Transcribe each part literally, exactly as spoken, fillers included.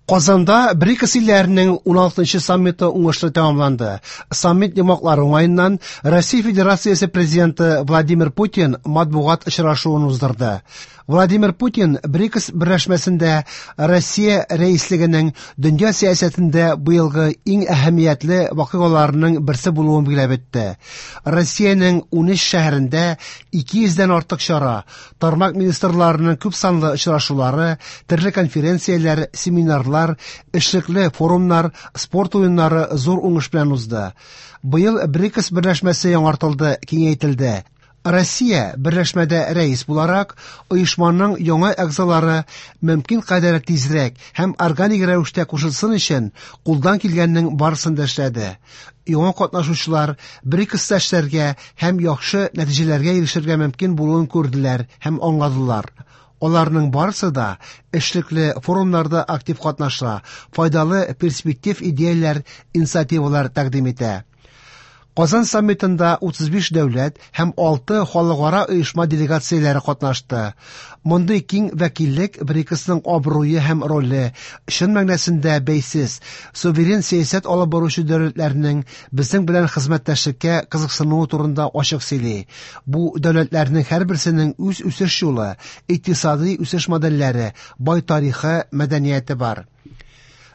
Казанда БРИКС илләренең уналтынчы саммиты уңышлы тәмамланды. Саммит йомгаклары уңаеннан Россия Федерациясе Президенты Владимир Путин матбугат очрашуын уздырды. Владимир Путин БРИКС берләшмәсендә Россия рәислегенең дөнья сәясәтендә быелгы иң әһәмиятле вакыйгаларының берсе булуын билгеләп үтте. Россиянең унөч шәһәрендә ике йөздән артык чара, тармак министрларының күп санлы очрашулары, төрле конференцияләр, семинарлар, эшлекле форумнар, спорт уеннары зур уңыш белән узды. Быел БРИКС берләшмәсе яңартылды, киңәйтелде. Россия берләшмәдә рәис буларак, оешманың яңа әгъзалары мөмкин кадәр тизрәк һәм органик рәвештә кушылсын өчен кулдан килгәннең барысын да эшләде. Яңа катнашучылар БРИКСта эшләргә һәм яхшы нәтиҗәләргә ирешергә мөмкин булуын күрделәр һәм аңладылар. Аларның барысы да эшлекле форумнарда актив катнаша, файдалы перспектив идеяләр, инициативалар тәкъдим итә. Казан саммитында утыз биш дәүләт һәм алты халыкара оешма делегацияләре катнашты. Мондый киң вәкиллек БРИКСның абруе һәм роле, чын мәгънәсендә бәйсез, суверен сәясәт алып баручы дәүләтләрнең безнең белән хезмәттәшлеккә кызыксынуы турында ачык сөйли. Бу дәүләтләрнең һәрберсенең үз үсеш юлы, икътисади үсеш модельләре, бай тарихы, мәдәнияте бар.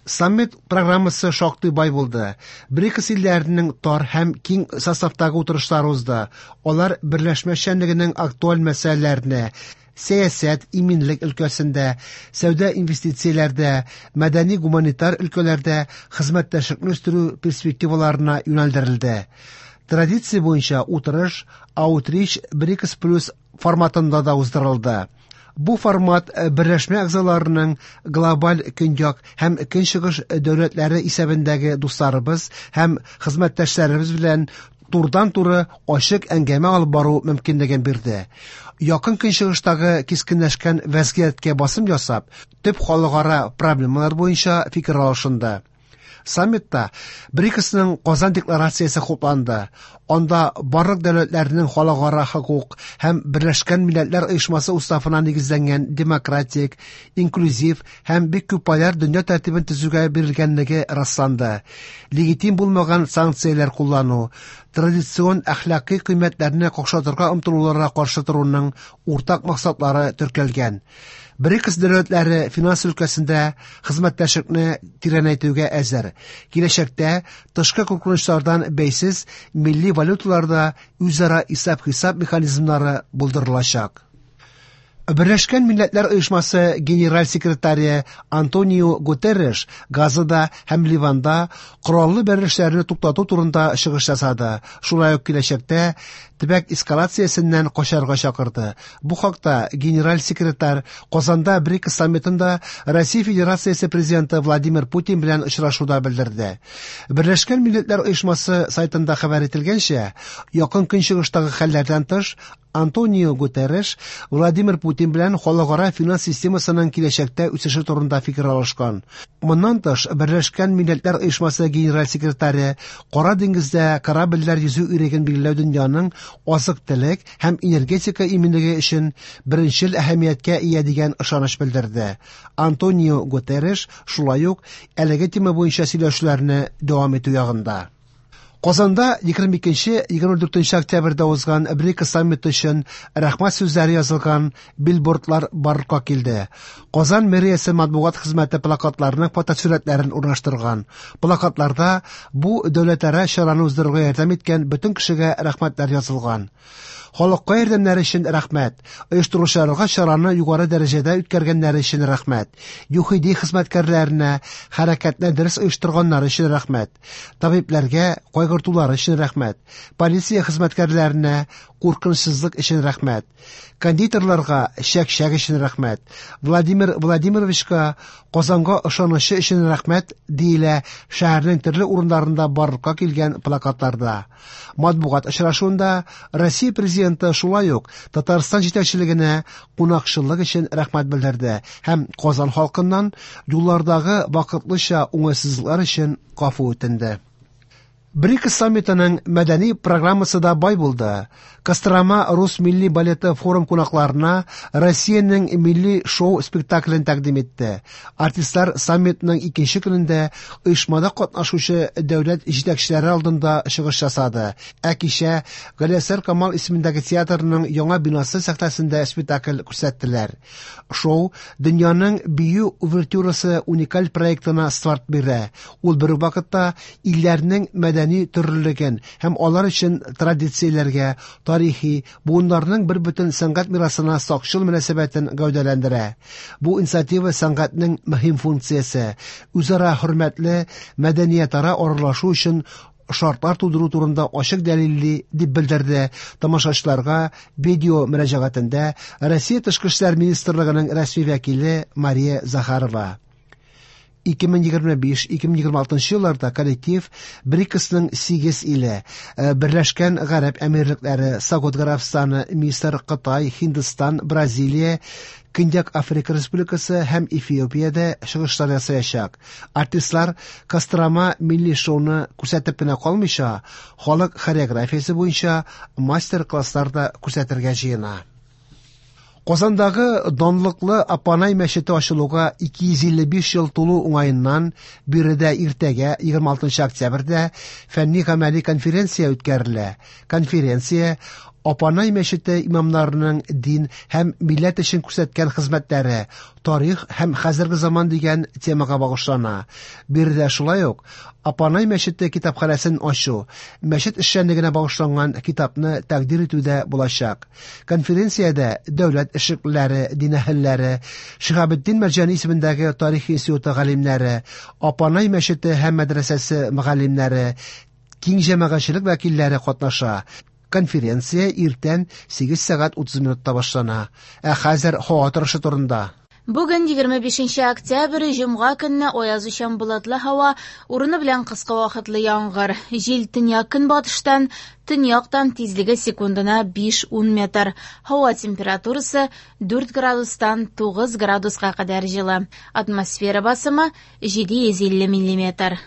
Саммит программасы шактый бай булды. БРИКС илләренең тар һәм киң составтагы утырышлары узды. Алар берләшмә эшчәнлегенең актуаль мәсьәләләренә, сәясәт, иминлек өлкәсендә, сәүдә инвестицияләрдә, мәдәни-гуманитар өлкәләрдә хезмәттәшлекне үстерү перспективаларына юнәлдерелде. Традиция буенча утырыш Outreach БРИКС Плюс форматында да уздырылды. Бу формат берләшмә әгъзаларының глобаль көньяк һәм көнчыгыш дәүләтләре исәбендәге дусларыбыз һәм хезмәттәшләребез белән турыдан-туры ачык әңгәмә алып бару мөмкинлеген бирде. Якын көнчыгыштагы кискенләшкән вәзгыятькә басым ясап, төп халыкара проблемалар буенча фикер алышынды. Саммитта БРИКСның Казан декларациясе хупланды. Анда барлык дәүләтләрнең халыкара хокук һәм Берләшкән Милләтләр Оешмасы уставына нигезләнгән демократик, инклюзив һәм бик күп поляр дөнья тәртибен төзүгә бирелгәнлеге расланды. Легитим булмаган санкцияләр куллану, традицион әхлакый кыйммәтләрне какшатырга омтылуларга каршы торуның уртак максатлары теркәлгән. БРИКС дәүләтләре финанс өлкәсендә хезмәттәшлекне тирәнәйтүгә әзер. Киләчәктә тышкы куркынычлардан бәйсез милли валюталарда үзара исәп-хисап механизмнары булдырылачак. Берләшкән Милләтләр Оешмасы генераль секретаре Антонио Гутерреш Газада һәм Ливанда кораллы бәрелешләрне туктату турында чыгыш ясады. Шулай ук киләчәктә төбәк эскалациясеннән качарга чакырды. Бу хакта генераль секретарь Казанда БРИКС саммитында Россия Федерациясе президенты Владимир Путин белән очрашуда белдерде. Берләшкән Милләтләр Оешмасы сайтында хәбәр ителгәнчә, якын көнчыгыштагы хәлләрдән тыш Антонио Гутерреш Владимир Путин белән халыкара финанс системасының киләчәктә үсеше турында фикер алышкан. Моннан тыш, Берләшкән Милләтләр Оешмасы генераль секретаре Кара диңгездә корабльләр йөзү иреген билгеләү дөньяның азык-төлек һәм энергетика иминлеге өчен беренчел әһәмияткә ия дигән ышаныч белдерде. Антонио Гутерреш шулай ук әлеге тема буенча сөйләшүләрне дәвам итү ягында. Казанда егерме икенче, егерме дүртенче октябрьдә узган БРИКС саммиты өчен рәхмәт сүзләре язылган билбордлар барлыкка килде. Казан мэриясе матбугат хезмәте плакатларының фотосурәтләрен урнаштырган. Плакатларда бу дәүләтара чараны уздыруга ярдәм иткән бөтен кешегә рәхмәтләр язылган. Халыкка ярдәмнәре өчен рәхмәт, оештыручыларга чараны югары дәрәҗәдә үткәргәннәре өчен рәхмәт, ЮХИДИ хезмәткәрләренә хәрәкәтне дөрес оештырганнары өчен рәхмәт, табибләргә кайгыртулары өчен рәхмәт, полиция хезмәткәрләренә куркынычсызлык өчен рәхмәт, кондитерларга чәк-чәк өчен рәхмәт, Владимир Владимировичка Казанга ышанычы өчен рәхмәт диелә шәһәрнең төрле урыннарында барлыкка килгән плакатларда. Матбугат очрашуында Россия президенты шулай ук Татарстан җитәкчелегенә кунакчыллык өчен рәхмәт белдерде һәм Казан халкыннан юллардагы вакытлыча уңайсызлыклар өчен гафу үтенде. БРИКС саммитының мәдәни программасы да бай булды. Кострома рус милли балеты форум кунакларына Россиянең милли шоу-спектаклен тәкъдим итте. Артистлар саммитның икенче көнендә оешмада катнашучы дәүләт җитәкчеләре алдында чыгыш ясады. Ә кичә Галиәсгар Камал исемендәге театрның яңа бинасы сәхнәсендә спектакль күрсәттеләр. Шоу дөньяның бию увертюрасы уникаль проектына старт бирә. Ул бер үк вакытта илләрнең мәдәни төрлелеген һәм алар өчен традицияләргә, тарихи, буыннарның бер бөтен сәнгать мирасына сакчыл мөнәсәбәтен гәүдәләндерә. Бу инициатива сәнгатьнең мөһим функциясе, үзара хөрмәтле мәдәниятара аралашу өчен шартлар тудыру турында ачык дәлилли, дип белдерде тамашачыларга видео мөрәҗәгатендә Россия Тышкы эшләр министрлыгының рәсми вәкиле Мария Захарова. ике мең егерме биш - ике мең егерме алтынчы елларда коллектив БРИКСның сигез иле, э, Берләшкән Гарәп Әмирлекләре, Сауд Гарәбстаны, Мисыр, Кытай, Һиндстан, Бразилия, Көньяк Африка Республикасы һәм Эфиопиядә чыгышлар ясаячак. Артистлар Кострома милли шоуны күрсәтеп кенә калмыйча, халык хореографиясе буенча мастер-класслар да күрсәтергә җыена. Казандагы данлыклы Апанай мәчете ачылуга ике йөз илле биш ел тулу уңаеннан биредә иртәгә егерме алтынчы октябрьдә фәнни-гамәли конференция үткәрелә. Конференция Апанай мәчете имамнарының дин һәм милләт өчен күрсәткән хезмәтләре, тарих һәм хәзерге заман дигән темага багышлана. Биредә шулай ук Апанай мәчете китапханәсен ачу, мәчет эшчәнлегенә багышланган китапны тәкъдир итү дә булачак. Конференциядә дәүләт эшлеклеләре, дин әһелләре, Шиһабетдин Мәрҗани исемендәге тарих институты галимнәре, Апанай мәчете һәм мәдрәсәсе мөгаллимнәре, киң җәмәгатьчелек вәкилләре катнаша. Конференция иртән сигез сәгать утыз минутта башлана. Ә хәзер һава торышы турында. Бүген егерме бишенче октябрь, җомга көнне аязучан болытлы һава, урыны белән кыска вакытлы яңгыр. Җил төньяк көнбатыштан, төньяктан тизлеге секундына биш-ун метр. Һава температурасы дүрт градустан тугыз градуска кадәр җылы. Атмосфера басымы җиде йөз илле миллиметр.